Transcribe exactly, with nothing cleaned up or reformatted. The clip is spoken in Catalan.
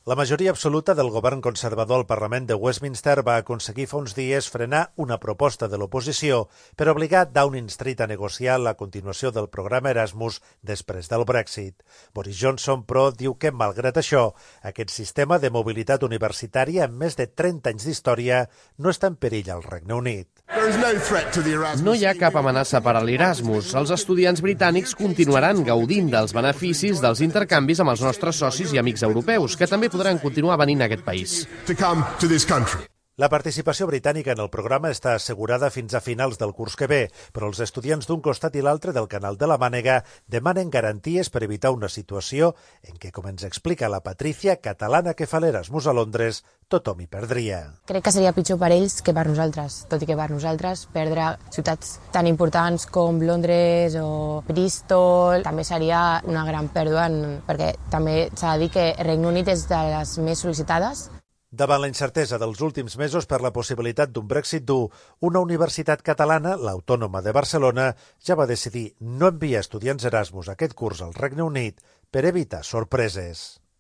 La majoria absoluta del govern conservador al Parlament de Westminster va aconseguir fa uns dies frenar una proposta de l'oposició per obligar Downing Street a negociar la continuació del programa Erasmus després del Brexit. Boris Johnson, però, diu que, malgrat això, aquest sistema de mobilitat universitària amb més de trenta anys d'història no està en perill al Regne Unit. No hi ha cap amenaça per a l'Erasmus. Els estudiants britànics continuaran gaudint dels beneficis dels intercanvis amb els nostres socis i amics europeus, que també podran continuar venint a aquest país. La participació britànica en el programa està assegurada fins a finals del curs que ve, però els estudiants d'un costat i l'altre del Canal de la Mànega demanen garanties per evitar una situació en què, com ens explica la Patricia, catalana que fa l'Erasmus a Londres, tothom hi perdria. Crec que seria pitjor per ells que per nosaltres, tot i que per nosaltres perdre ciutats tan importants com Londres o Bristol també seria una gran pèrdua, perquè també s'ha de dir que el Regne Unit és de les més sol·licitades. Davant la incertesa dels últims mesos per la possibilitat d'un Brexit dur, una universitat catalana, l'Autònoma de Barcelona, ja va decidir no enviar estudiants Erasmus aquest curs al Regne Unit per evitar sorpreses.